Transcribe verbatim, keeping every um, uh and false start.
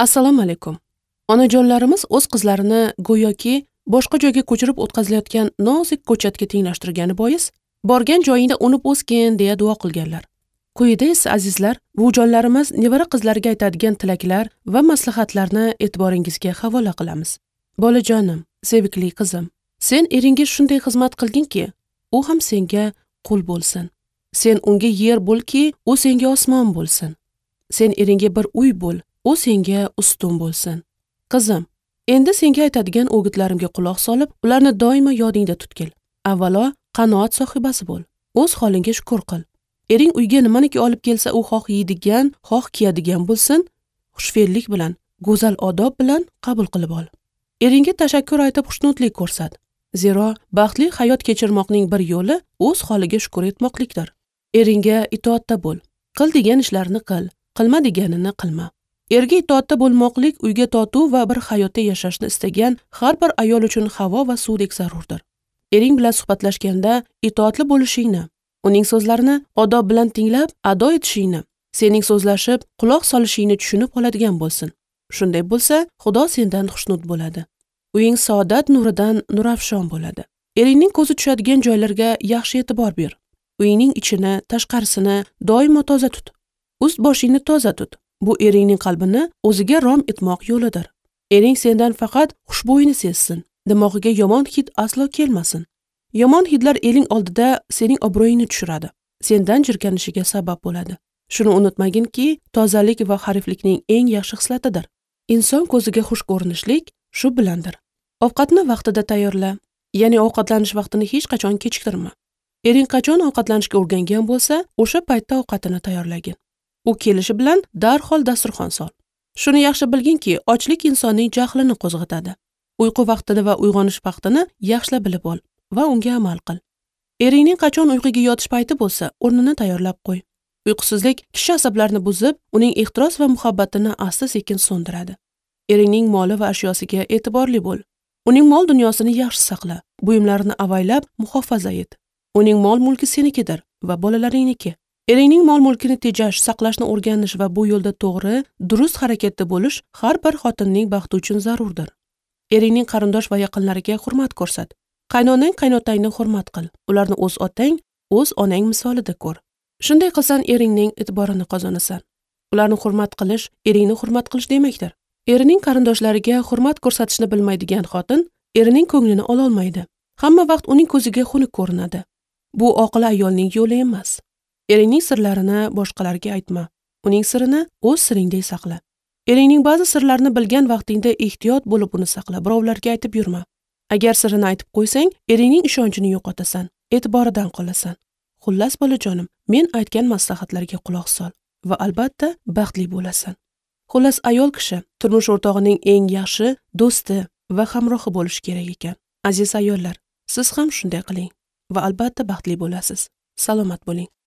Assalomu alaykum. Onajonlarimiz o'z qizlarini go'yoki boshqa joyga ko'chirib o'tkazilayotgan nozik ko'chatga tenglashtirgani bois, borgan joyingda unib o'sgin deya duo qilganlar. Quyida esa azizlar, buvijonlarimiz nevara qizlariga aytadigan tilaklar va maslahatlarni e'tiboringizga havola qilamiz. Bolajonim, sevikli qizim, sen eringga shunday xizmat qilginki, u ham senga qul bo'lsin. Sen unga yer bo'lki, u senga osmon bo'lsin. Sen eringga bir uy bo'l, u senga ustun bo'lsin. Qizim, endi senga aytadigan o'gitlarimga quloq solib, ularni doimo yodingda tutgil. Avvalo qanoat sohibasi bo'l. O'z holingga shukr qil. Ering uyga nimaniki olib kelsa, u xoh yeydigan, xoh kiyadigan bo'lsin, xushfe'llik bilan, go'zal odob bilan qabul qilib ol. Eringga tashakkur aytib xushnudlik ko'rsat. Zero baxtli hayot kechirmoqning bir yo'li o'z holiga shukr etmoqlikdir. Eringga itoatda bo'l. Qil degan ishlarini qil, qilma deganini qilma. Erga itoatda bo'lmoqlik uyga totuv va bir hayotda yashashni istagan har bir ayol uchun havo va suvdek zarurdir. Ering bilan suhbatlashganda itoatli bo'lishingni, uning so'zlarini odob bilan tinglab ado etishingni, sening so'zlashib quloq solishingni tushunib oladigan bo'lsin. Shunday bo'lsa, Xudo sendan xushnud bo'ladi. Uying saodat nuridan nurafshon bo'ladi. Eringning ko'zi tushadigan joylarga yaxshi e'tibor ber. Uyingning ichini, tashqarisini doimo toza tut. Ust boshingni toza tut. Bu eringning qalbini o'ziga rom etmoq yo'lidir. Ering sendan faqat xushbo'yini sezsin. Dimog'iga yomon hid aslo kelmasin. Yomon hidlar eling oldida sening obro'yingni tushiradi. Sendan jirkanishiga sabab bo'ladi. Shuni unutmaginki, tozalik va hariflikning eng yaxshi xislatidir. Inson ko'ziga xush ko'rinishlik shu bilandir. Ovqatni vaqtida tayyorla, ya'ni ovqatlanish vaqtini hech qachon kechiktirma. Ering qachon ovqatlanishga o'rgangan bo'lsa, o'sha paytda ovqatini tayyorlagin. U kelishi bilan darhol dasturxon sol. Shuni yaxshi bilginki, ochlik insonning jahlini qo'zg'atadi. Uyqu vaqtini va uyg'onish vaqtini yaxshilab bilib ol va unga amal qil. Eringning qachon uyquga yotish payti bo'lsa, o'rnini tayyorlab qo'y. Uyqusizlik kishi asablarini buzib, uning ehtiros va muhabbatini asta-sekin so'ndiradi. Eringning moli va ashyosiga e'tiborli bo'l. Uning mol dunyosini yaxshi saqla, buyumlarini avaylab muhofaza et. Uning mol-mulki senikidir va bolalaringniki. Eringning mol-mulkini tejash, saqlashni o'rganish va bu yo'lda to'g'ri, durust harakatda bo'lish har bir xotinning baxti uchun zarurdir. Eringning qarindosh va yaqinlariga hurmat ko'rsat. Qaynonang, qaynotangni hurmat qil. Ularni o'z otang, o'z onang misolida ko'r. Shunday qilsan eringning e'tiborini qozonasan. Ularni hurmat qilish, eringni hurmat qilish demakdir. Erining qarindoshlariga hurmat ko'rsatishni bilmaydigan xotin erining ko'nglini ola olmaydi. Hamma vaqt uning ko'ziga xunuk ko'rinadi. Bu oqil ayolning yo'li emas. Eringning sirlarini boshqalarga aytma. Uning sirini o'z siringdek saqla. Eringning ba'zi sirlarini bilgan vaqtingda ehtiyot bo'lib uni saqla, birovlarga aytib yurma. Agar sirini aytib qo'ysang, eringning ishonchini yo'qotasan, e'tiboridan qolasan. Xullas bolajonim, men aytgan maslahatlarga quloq sol va albatta baxtli bo'lasan. Xullas ayol kishi turmush o'rtog'ining eng yaxshi do'sti va hamrohi bo'lishi kerak ekan. Aziz ayollar, siz ham shunday qiling va albatta baxtli bo'lasiz. Salomat bo'ling.